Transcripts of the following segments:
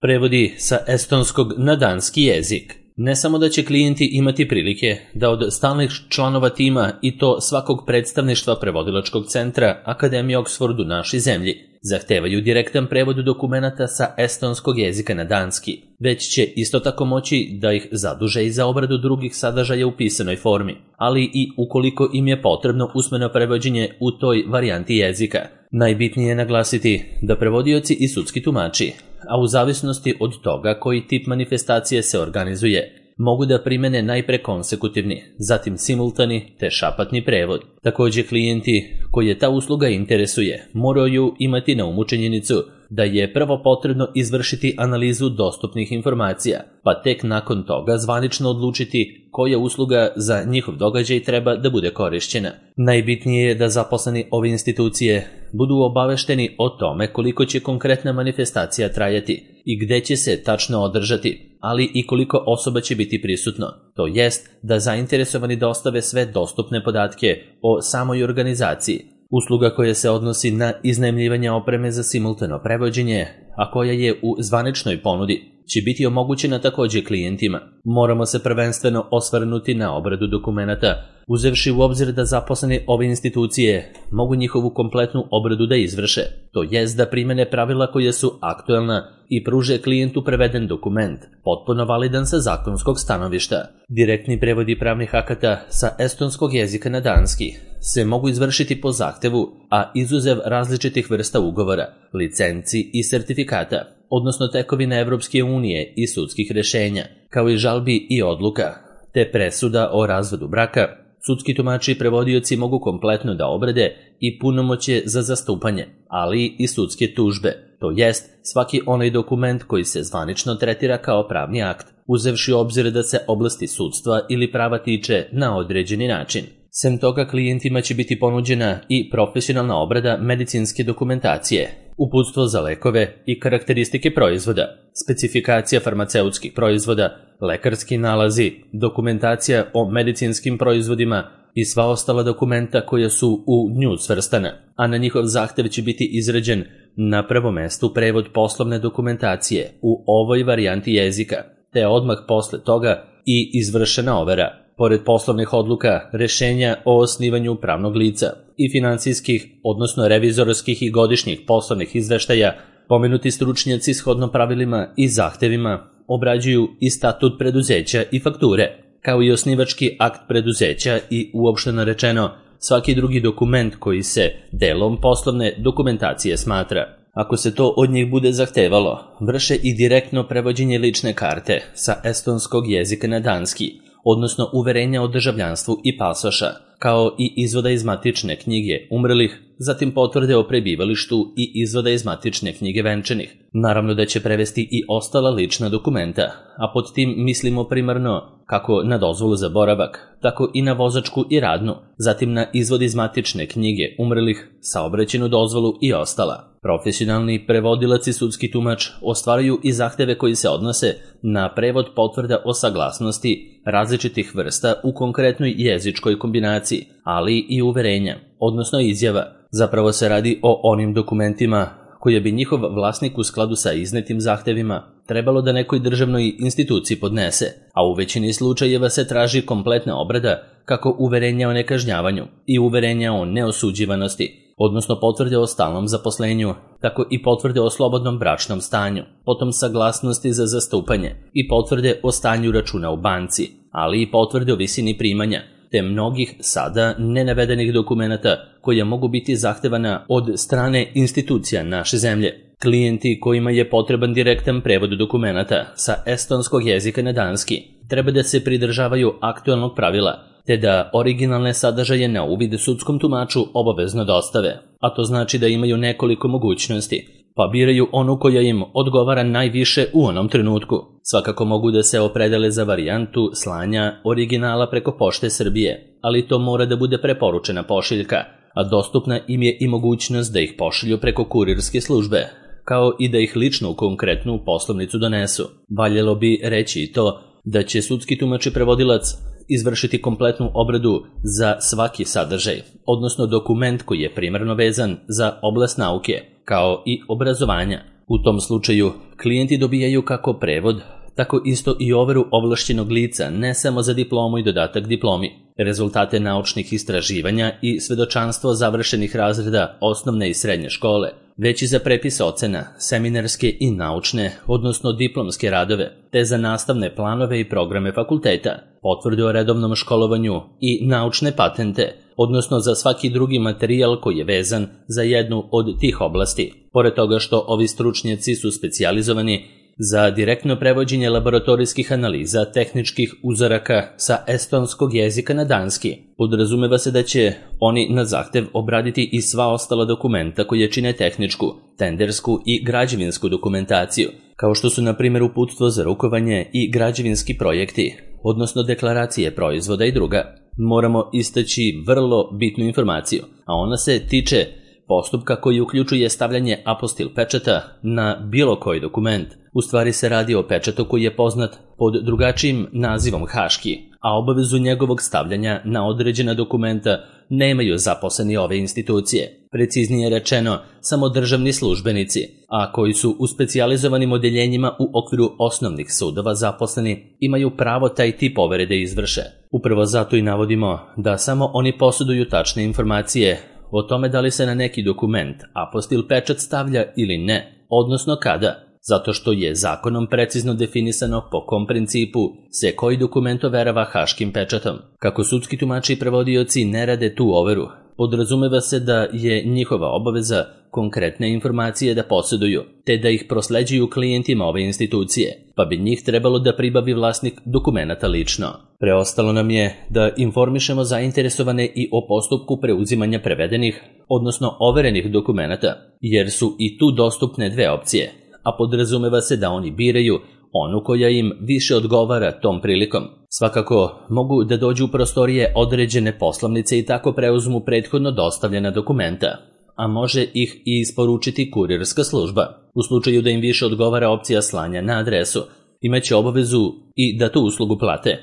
Prevodi sa estonskog na danski jezik. Ne samo da će klijenti imati prilike da od stalnih članova tima i to svakog predstavništva prevodilačkog centra Akademije Oxford u našoj zemlji zahtevaju direktan prevod dokumenata sa estonskog jezika na danski, već će isto tako moći da ih zaduže i za obradu drugih sadržaja u pisanoj formi, ali i ukoliko im je potrebno usmeno prevođenje u toj varijanti jezika. Najbitnije je naglasiti da prevodioci i sudski tumači, a u zavisnosti od toga koji tip manifestacije se organizuje, mogu da primene najpre konsekutivni, zatim simultani te šapatni prevod. Također klijenti koje ta usluga interesuje moraju imati na umu činjenicu da je prvo potrebno izvršiti analizu dostupnih informacija, pa tek nakon toga zvanično odlučiti koja usluga za njihov događaj treba da bude korišćena. Najbitnije je da zaposleni ove institucije budu obavešteni o tome koliko će konkretna manifestacija trajati i gde će se tačno održati, ali i koliko osoba će biti prisutno. To jest da zainteresovani dostave sve dostupne podatke o samoj organizaciji. Usluga koja se odnosi na iznajmljivanje opreme za simultano prevođenje, a koja je u zvaničnoj ponudi, će biti omogućena također klijentima. Moramo se prvenstveno osvrnuti na obradu dokumenata, uzevši u obzir da zaposleni ove institucije mogu njihovu kompletnu obradu da izvrše, to jest da primene pravila koje su aktuelna i pruže klijentu preveden dokument, potpuno validan sa zakonskog stanovišta. Direktni prevodi pravnih akata sa estonskog jezika na danski se mogu izvršiti po zahtevu, a izuzev različitih vrsta ugovora, licenci i sertifikata, odnosno tekovina Evropske unije i sudskih rešenja, kao i žalbi i odluka, te presuda o razvodu braka, sudski tumači i prevodioci mogu kompletno da obrade i punomoćje za zastupanje, ali i sudske tužbe, to jest svaki onaj dokument koji se zvanično tretira kao pravni akt, uzevši u obzir da se oblasti sudstva ili prava tiče na određeni način. Sem toga, klijentima će biti ponuđena i profesionalna obrada medicinske dokumentacije, uputstvo za lekove i karakteristike proizvoda, specifikacija farmaceutskih proizvoda, lekarski nalazi, dokumentacija o medicinskim proizvodima i sva ostala dokumenta koja su u nju svrstana, a na njihov zahtev će biti izrađen na prvom mestu prevod poslovne dokumentacije u ovoj varijanti jezika, te odmah posle toga i izvršena overa. Pored poslovnih odluka, rešenja o osnivanju pravnog lica i finansijskih, odnosno revizorskih i godišnjih poslovnih izveštaja, pomenuti stručnjaci shodno pravilima i zahtevima obrađuju i statut preduzeća i fakture, kao i osnivački akt preduzeća i uopšteno rečeno svaki drugi dokument koji se delom poslovne dokumentacije smatra. Ako se to od njih bude zahtevalo, vrše i direktno prevođenje lične karte sa estonskog jezika na danski, odnosno uverenja o državljanstvu i pasoša, kao i izvoda iz matične knjige umrlih, zatim potvrde o prebivalištu i izvoda iz matične knjige venčanih. Naravno da će prevesti i ostala lična dokumenta, a pod tim mislimo primarno kako na dozvolu za boravak, tako i na vozačku i radnu, zatim na izvod iz matične knjige umrlih, saobraćajnu dozvolu i ostala. Profesionalni prevodilac i sudski tumač ostvaraju i zahteve koji se odnose na prevod potvrda o saglasnosti različitih vrsta u konkretnoj jezičkoj kombinaciji, ali i uverenja, odnosno izjava. Zapravo se radi o onim dokumentima koje bi njihov vlasnik u skladu sa iznetim zahtevima trebalo da nekoj državnoj instituciji podnese, a u većini slučajeva se traži kompletna obrada kako uverenja o nekažnjavanju i uverenja o neosuđivanosti, odnosno potvrde o stalnom zaposlenju, tako i potvrde o slobodnom bračnom stanju, potom saglasnosti za zastupanje i potvrde o stanju računa u banci, ali i potvrde o visini primanja, te mnogih sada nenavedenih dokumenata koja mogu biti zahtevana od strane institucija naše zemlje. Klijenti kojima je potreban direktan prevod dokumenata sa estonskog jezika na danski treba da se pridržavaju aktuelnog pravila, te da originalne sadržaje na uvid sudskom tumaču obavezno dostave, a to znači da imaju nekoliko mogućnosti, pa biraju onu koja im odgovara najviše u onom trenutku. Svakako mogu da se opredele za varijantu slanja originala preko Pošte Srbije, ali to mora da bude preporučena pošiljka, a dostupna im je i mogućnost da ih pošilju preko kurirske službe, kao i da ih lično u konkretnu poslovnicu donesu. Valjalo bi reći i to da će sudski tumač i prevodilac izvršiti kompletnu obradu za svaki sadržaj, odnosno dokument koji je primarno vezan za oblast nauke, kao i obrazovanja. U tom slučaju, klijenti dobijaju kako prevod, tako isto i overu ovlašćenog lica, ne samo za diplomu i dodatak diplomi, rezultate naučnih istraživanja i svedočanstvo završenih razreda osnovne i srednje škole, već i za prepis ocena, seminarske i naučne, odnosno diplomske radove, te za nastavne planove i programe fakulteta, potvrde o redovnom školovanju i naučne patente, odnosno za svaki drugi materijal koji je vezan za jednu od tih oblasti. Pored toga što ovi stručnjaci su specijalizovani za direktno prevođenje laboratorijskih analiza tehničkih uzoraka sa estonskog jezika na danski, podrazumeva se da će oni na zahtev obraditi i sva ostala dokumenta koje čine tehničku, tendersku i građevinsku dokumentaciju, kao što su na primjer uputstvo za rukovanje i građevinski projekti, odnosno deklaracije proizvoda i druga. Moramo istaći vrlo bitnu informaciju, a ona se tiče postupka koji uključuje stavljanje apostil pečata na bilo koji dokument. U stvari se radi o pečatu koji je poznat pod drugačijim nazivom haški, a obavezu njegovog stavljanja na određena dokumenta nemaju zaposleni ove institucije. Preciznije rečeno, samo državni službenici, a koji su u specijalizovanim odeljenjima u okviru osnovnih sudova zaposleni, imaju pravo taj tip overe da izvrše. Upravo zato i navodimo da samo oni posjeduju tačne informacije o tome da li se na neki dokument apostil pečat stavlja ili ne, odnosno kada, zato što je zakonom precizno definisano po kom principu se koji dokument overava haškim pečatom. Kako sudski tumači i prevodioci ne rade tu overu, podrazumeva se da je njihova obaveza konkretne informacije da posjeduju, te da ih prosleđuju klijentima ove institucije, pa bi njih trebalo da pribavi vlasnik dokumenata lično. Preostalo nam je da informišemo zainteresovane i o postupku preuzimanja prevedenih, odnosno overenih dokumenata, jer su i tu dostupne dve opcije, a podrazumeva se da oni biraju onu koja im više odgovara tom prilikom. Svakako mogu da dođu u prostorije određene poslovnice i tako preuzmu prethodno dostavljena dokumenta, a može ih i isporučiti kurirska služba. U slučaju da im više odgovara opcija slanja na adresu, imaće obavezu i da tu uslugu plate,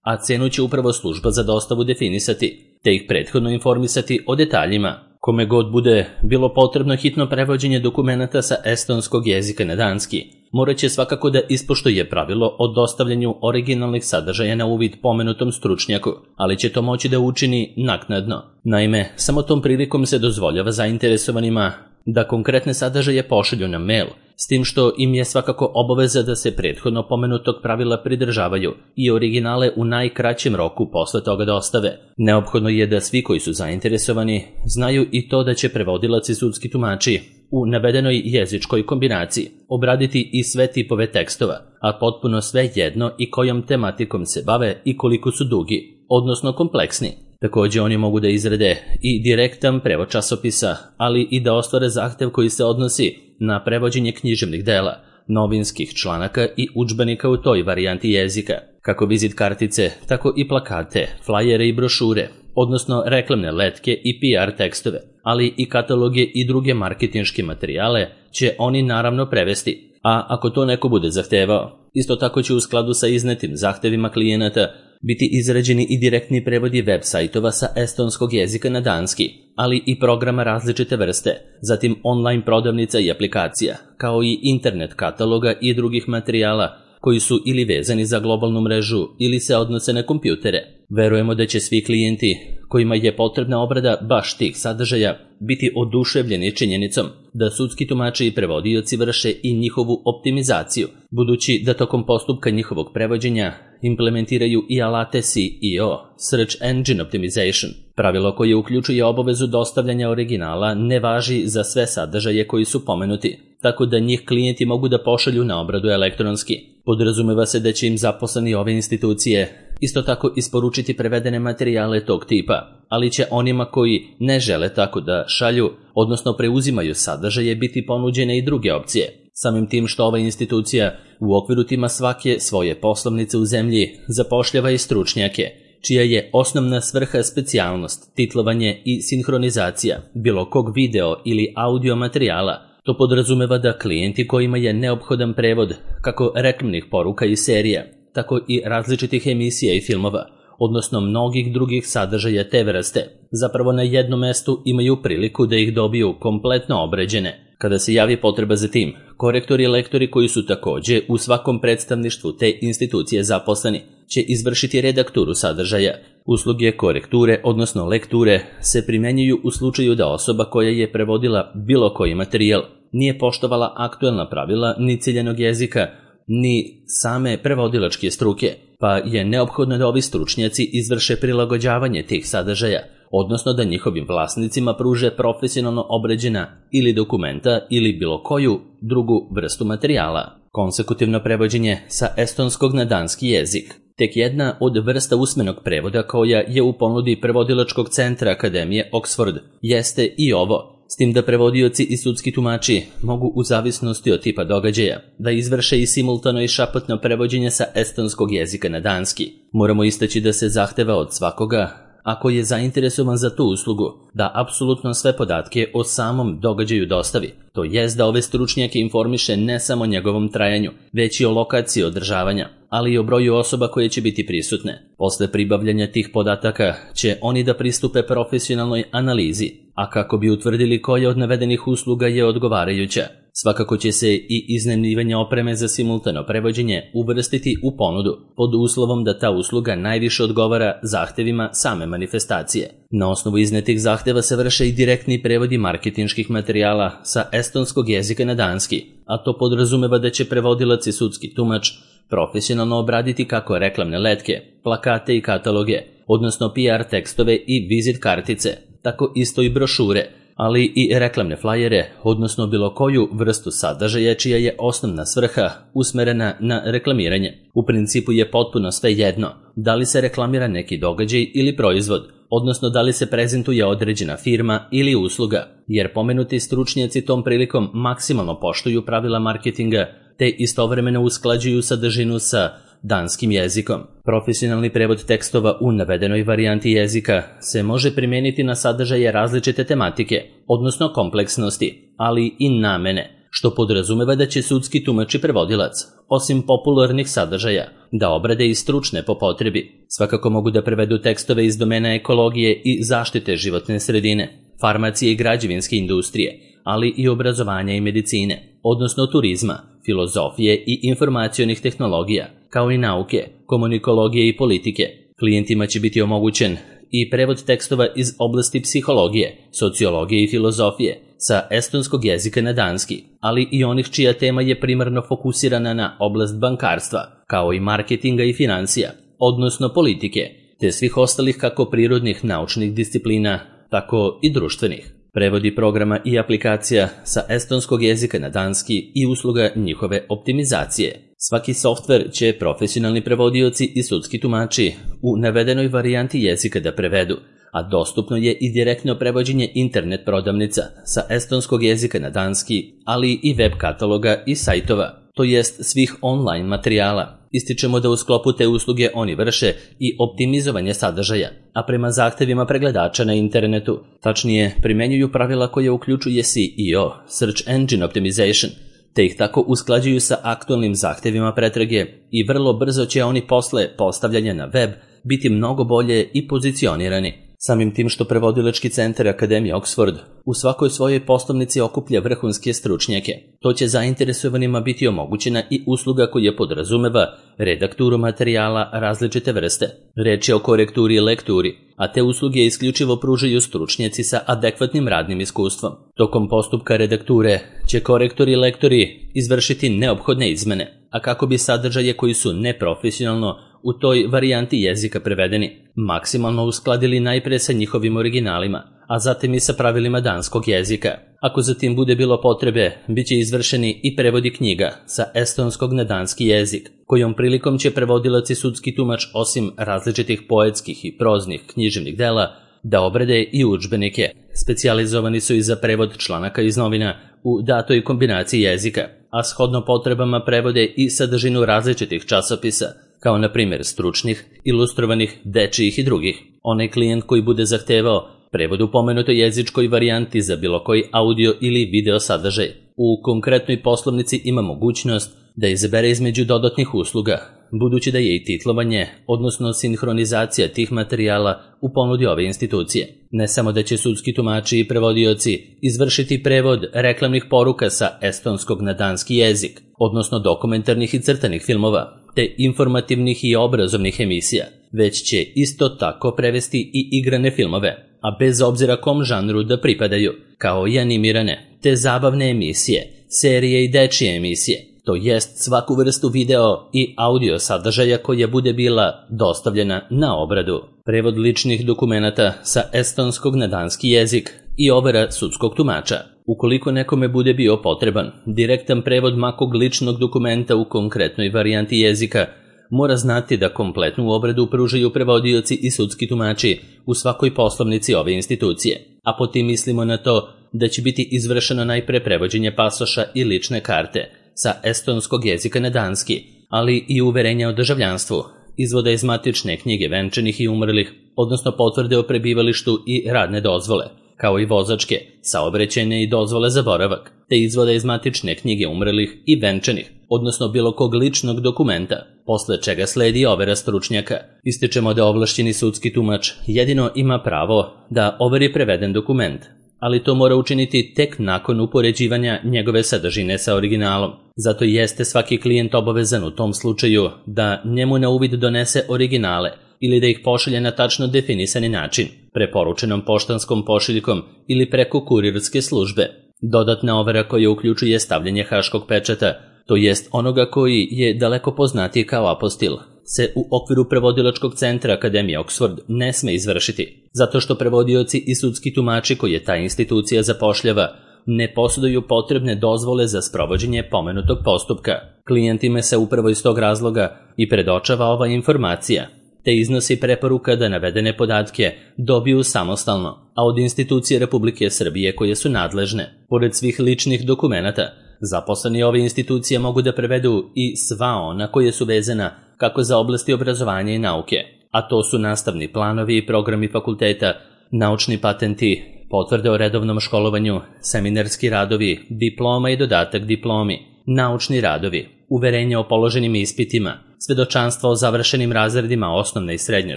a cenu će upravo služba za dostavu definisati, te ih prethodno informisati o detaljima. Kome god bude bilo potrebno hitno prevođenje dokumenata sa estonskog jezika na danski, morat će svakako da ispoštuje pravilo o dostavljanju originalnih sadržaja na uvid pomenutom stručnjaku, ali će to moći da učini naknadno. Naime, samo tom prilikom se dozvoljava zainteresovanima da konkretne sadržaje pošalju na mail, s tim što im je svakako obaveza da se prethodno pomenutog pravila pridržavaju i originale u najkraćem roku posle toga dostave. Neophodno je da svi koji su zainteresovani znaju i to da će prevodilac i sudski tumači u navedenoj jezičkoj kombinaciji obraditi i sve tipove tekstova, a potpuno sve jedno i kojom tematikom se bave i koliko su dugi, odnosno kompleksni. Također oni mogu da izrade i direktan prevod časopisa, ali i da ostvare zahtev koji se odnosi na prevođenje književnih dela, novinskih članaka i udžbenika u toj varijanti jezika, kako vizit kartice, tako i plakate, flajere i brošure, odnosno reklamne letke i PR tekstove, ali i kataloge i druge marketinške materijale će oni naravno prevesti, a ako to neko bude zahtevao, isto tako će u skladu sa iznetim zahtevima klijenata biti izrađeni i direktni prevodi web sajtova sa estonskog jezika na danski, ali i programa različite vrste, zatim online prodavnica i aplikacija, kao i internet kataloga i drugih materijala koji su ili vezani za globalnu mrežu ili se odnose na kompjutere. Verujemo da će svi klijenti kojima je potrebna obrada baš tih sadržaja biti oduševljeni činjenicom da sudski tumači i prevodioci vrše i njihovu optimizaciju, budući da tokom postupka njihovog prevođenja implementiraju i alate SEO, Search Engine Optimization. Pravilo koje uključuje obavezu dostavljanja originala ne važi za sve sadržaje koji su pomenuti, tako da njih klijenti mogu da pošalju na obradu elektronski. Podrazumeva se da će im zaposleni ove institucije isto tako isporučiti prevedene materijale tog tipa, ali će onima koji ne žele tako da šalju, odnosno preuzimaju sadržaje, biti ponuđene i druge opcije. Samim tim što ova institucija u okviru tima svake svoje poslovnice u zemlji zapošljava i stručnjake, čija je osnovna svrha specijalnost, titlovanje i sinhronizacija bilo kog video ili audio materijala. To podrazumeva da klijenti kojima je neophodan prevod kako reklamnih poruka i serija, tako i različitih emisija i filmova, odnosno mnogih drugih sadržaja te vrste, zapravo na jednom mestu imaju priliku da ih dobiju kompletno obrađene. Kada se javi potreba za tim, korektori i lektori koji su takođe u svakom predstavništvu te institucije zaposleni će izvršiti redakturu sadržaja. Usluge korekture, odnosno lekture, se primenjuju u slučaju da osoba koja je prevodila bilo koji materijal nije poštovala aktuelna pravila ni ciljanog jezika, ni same prevodilačke struke, pa je neophodno da ovi stručnjaci izvrše prilagođavanje tih sadržaja, odnosno da njihovim vlasnicima pruže profesionalno obrađena ili dokumenta ili bilo koju drugu vrstu materijala. Konsekutivno prevođenje sa estonskog na danski jezik. Tek jedna od vrsta usmenog prevoda koja je u ponudi prevodilačkog centra Akademije Oxford jeste i ovo, s tim da prevodioci i sudski tumači mogu u zavisnosti od tipa događaja da izvrše i simultano i šapatno prevođenje sa estonskog jezika na danski. Moramo istaći da se zahteva od svakoga, ako je zainteresovan za tu uslugu, da apsolutno sve podatke o samom događaju dostavi, to jest da ove stručnjake informiše ne samo o njegovom trajanju, već i o lokaciji održavanja, ali i o broju osoba koje će biti prisutne. Posle pribavljanja tih podataka će oni da pristupe profesionalnoj analizi, a kako bi utvrdili koja od navedenih usluga je odgovarajuća. Svakako će se i iznajmljivanje opreme za simultano prevođenje uvrstiti u ponudu, pod uslovom da ta usluga najviše odgovara zahtevima same manifestacije. Na osnovu iznetih zahteva se vrše i direktni prevodi marketinških materijala sa estonskog jezika na danski, a to podrazumeva da će prevodilac i sudski tumač profesionalno obraditi kako reklamne letke, plakate i kataloge, odnosno PR tekstove i vizit kartice, tako isto i brošure, ali i reklamne flajere, odnosno bilo koju vrstu sadržaja čija je osnovna svrha usmerena na reklamiranje. U principu je potpuno sve jedno, da li se reklamira neki događaj ili proizvod, odnosno da li se prezentuje određena firma ili usluga, jer pomenuti stručnjaci tom prilikom maksimalno poštuju pravila marketinga, te istovremeno usklađuju sadržinu sa danskim jezikom. Profesionalni prevod tekstova u navedenoj varijanti jezika se može primijeniti na sadržaje različite tematike, odnosno kompleksnosti, ali i namene, što podrazumeva da će sudski tumač i prevodilac, osim popularnih sadržaja, da obrade i stručne po potrebi. Svakako mogu da prevedu tekstove iz domena ekologije i zaštite životne sredine, farmacije i građevinske industrije, ali i obrazovanja i medicine, odnosno turizma, filozofije i informacionih tehnologija, kao i nauke, komunikologije i politike. Klijentima će biti omogućen i prevod tekstova iz oblasti psihologije, sociologije i filozofije sa estonskog jezika na danski, ali i onih čija tema je primarno fokusirana na oblast bankarstva, kao i marketinga i financija, odnosno politike, te svih ostalih kako prirodnih naučnih disciplina, tako i društvenih. Prevodi programa i aplikacija sa estonskog jezika na danski i usluga njihove optimizacije. Svaki softver će profesionalni prevodioci i sudski tumači u navedenoj varijanti jezika da prevedu, a dostupno je i direktno prevođenje internet prodavnica sa estonskog jezika na danski, ali i web kataloga i sajtova, to jest svih online materijala. Ističemo da u sklopu te usluge oni vrše i optimizovanje sadržaja, a prema zahtevima pregledača na internetu, tačnije primenjuju pravila koje uključuje SEO, Search Engine Optimization, te ih tako usklađuju sa aktualnim zahtevima pretrage i vrlo brzo će oni posle postavljanja na web biti mnogo bolje i pozicionirani. Samim tim što prevodilački centar Akademije Oxford u svakoj svojoj poslovnici okuplja vrhunske stručnjake, to će zainteresovanima biti omogućena i usluga koja podrazumeva redakturu materijala različite vrste. Reč je o korekturi i lekturi, a te usluge isključivo pružaju stručnjaci sa adekvatnim radnim iskustvom. Tokom postupka redakture će korektori i lektori izvršiti neophodne izmene, a kako bi sadržaje koji su neprofesionalno u toj varijanti jezika prevedeni maksimalno uskladili najpre sa njihovim originalima, a zatim i sa pravilima danskog jezika. Ako zatim bude bilo potrebe, bit će izvršeni i prevodi knjiga sa estonskog na danski jezik, kojom prilikom će prevodilac i sudski tumač osim različitih poetskih i proznih književnih dela da obrade i udžbenike. Specijalizovani su i za prevod članaka iz novina u datoj kombinaciji jezika, a shodno potrebama prevode i sadržinu različitih časopisa, kao na primjer stručnih, ilustrovanih, dečijih i drugih. Onaj klijent koji bude zahtevao prevod u pomenutoj jezičkoj varijanti za bilo koji audio ili video sadržaj, u konkretnoj poslovnici ima mogućnost da izabere između dodatnih usluga, budući da je i titlovanje, odnosno sinhronizacija tih materijala u ponudi ove institucije. Ne samo da će sudski tumači i prevodioci izvršiti prevod reklamnih poruka sa estonskog na danski jezik, odnosno dokumentarnih i crtanih filmova, te informativnih i obrazovnih emisija, već će isto tako prevesti i igrane filmove, a bez obzira kom žanru da pripadaju, kao i animirane, te zabavne emisije, serije i dečije emisije, to jest svaku vrstu video i audio sadržaja koja bude bila dostavljena na obradu. Prevod ličnih dokumenata sa estonskog na danski jezik i overa sudskog tumača. Ukoliko nekome bude bio potreban direktan prevod makog ličnog dokumenta u konkretnoj varijanti jezika, mora znati da kompletnu obradu pružaju prevodioci i sudski tumači u svakoj poslovnici ove institucije, a po tim mislimo na to da će biti izvršeno najpre prevođenje pasoša i lične karte sa estonskog jezika na danski, ali i uverenja o državljanstvu, izvoda iz matične knjige venčanih i umrlih, odnosno potvrde o prebivalištu i radne dozvole, kao i vozačke, saobraćajne i dozvole za boravak, te izvoda iz matične knjige umrlih i venčanih, odnosno bilo kog ličnog dokumenta, posle čega sledi overa stručnjaka. Ističemo da ovlašćeni sudski tumač jedino ima pravo da overi preveden dokument, ali to mora učiniti tek nakon upoređivanja njegove sadržine sa originalom. Zato jeste svaki klijent obavezan u tom slučaju da njemu na uvid donese originale ili da ih pošalje na tačno definisani način, preporučenom poštanskom pošiljkom ili preko kurirske službe. Dodatna overa koja uključuje stavljanje haškog pečata, to jest onoga koji je daleko poznatiji kao apostil, se u okviru prevodilačkog centra Akademije Oxford ne sme izvršiti, zato što prevodioci i sudski tumači koje ta institucija zapošljava ne posjeduju potrebne dozvole za sprovođenje pomenutog postupka. Klijentima se upravo iz tog razloga i predočava ova informacija, te iznosi preporuka da navedene podatke dobiju samostalno, a od institucije Republike Srbije koje su nadležne. Pored svih ličnih dokumenata, zaposleni ove institucije mogu da prevedu i sva ona koje su vezana kako za oblasti obrazovanja i nauke, a to su nastavni planovi i programi fakulteta, naučni patenti, potvrde o redovnom školovanju, seminarski radovi, diploma i dodatak diplomi, naučni radovi, uverenja o položenim ispitima, svedočanstva o završenim razredima osnovne i srednje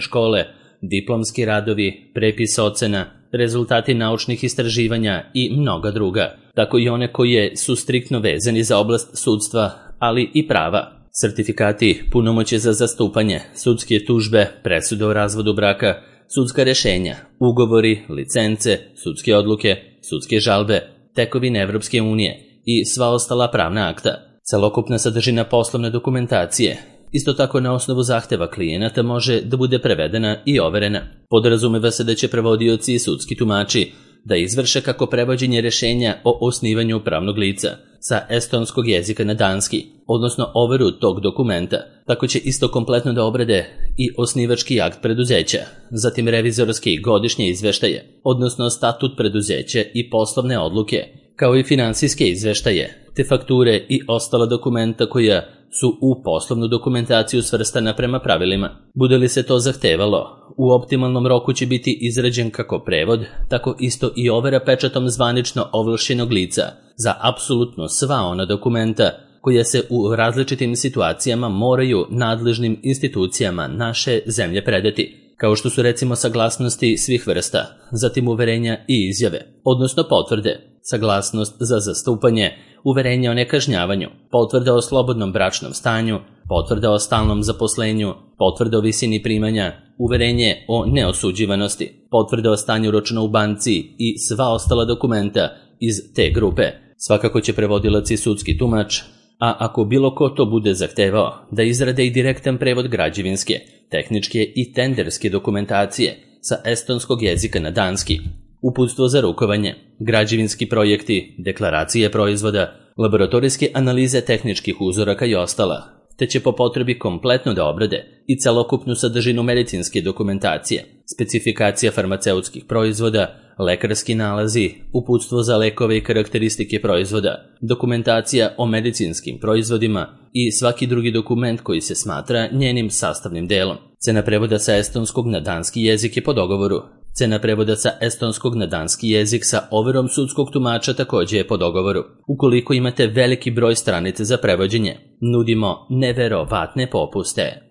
škole, diplomski radovi, prepis ocena, rezultati naučnih istraživanja i mnoga druga, tako i one koje su striktno vezani za oblast sudstva, ali i prava. Sertifikati, punomoćje za zastupanje, sudske tužbe, presude o razvodu braka, sudska rešenja, ugovori, licence, sudske odluke, sudske žalbe, tekovine Evropske unije i sva ostala pravna akta. Celokupna sadržina poslovne dokumentacije, isto tako na osnovu zahteva klijenata, može da bude prevedena i overena. Podrazumeva se da će prevodioci i sudski tumači da izvrše kako prevođenje rešenja o osnivanju pravnog lica sa estonskog jezika na danski, odnosno overu tog dokumenta, tako će isto kompletno da obrade i osnivački akt preduzeća, zatim revizorske i godišnje izveštaje, odnosno statut preduzeća i poslovne odluke, kao i finansijske izveštaje, te fakture i ostala dokumenta koja su u poslovnu dokumentaciju svrstana prema pravilima. Bude li se to zahtevalo, u optimalnom roku će biti izrađen kako prevod, tako isto i overa pečatom zvanično ovlašćenog lica za apsolutno sva ona dokumenta koja se u različitim situacijama moraju nadležnim institucijama naše zemlje predati, kao što su recimo saglasnosti svih vrsta, zatim uverenja i izjave, odnosno potvrde, saglasnost za zastupanje, uverenje o nekažnjavanju, potvrda o slobodnom bračnom stanju, potvrda o stalnom zaposlenju, potvrda o visini primanja, uverenje o neosuđivanosti, potvrda o stanju računa u banci i sva ostala dokumenta iz te grupe. Svakako će prevodilac i sudski tumač, a ako bilo ko to bude zahtevao, da izrade i direktan prevod građevinske, tehničke i tenderske dokumentacije sa estonskog jezika na danski, uputstvo za rukovanje, građevinski projekti, deklaracije proizvoda, laboratorijske analize tehničkih uzoraka i ostala, te će po potrebi kompletno da obrade i celokupnu sadržinu medicinske dokumentacije, specifikacija farmaceutskih proizvoda, lekarski nalazi, uputstvo za lekove i karakteristike proizvoda, dokumentacija o medicinskim proizvodima i svaki drugi dokument koji se smatra njenim sastavnim delom. Cena prevoda sa estonskog na danski jezik je po dogovoru. Cena prevoda sa estonskog na danski jezik sa overom sudskog tumača također je po dogovoru. Ukoliko imate veliki broj stranica za prevođenje, nudimo neverovatne popuste.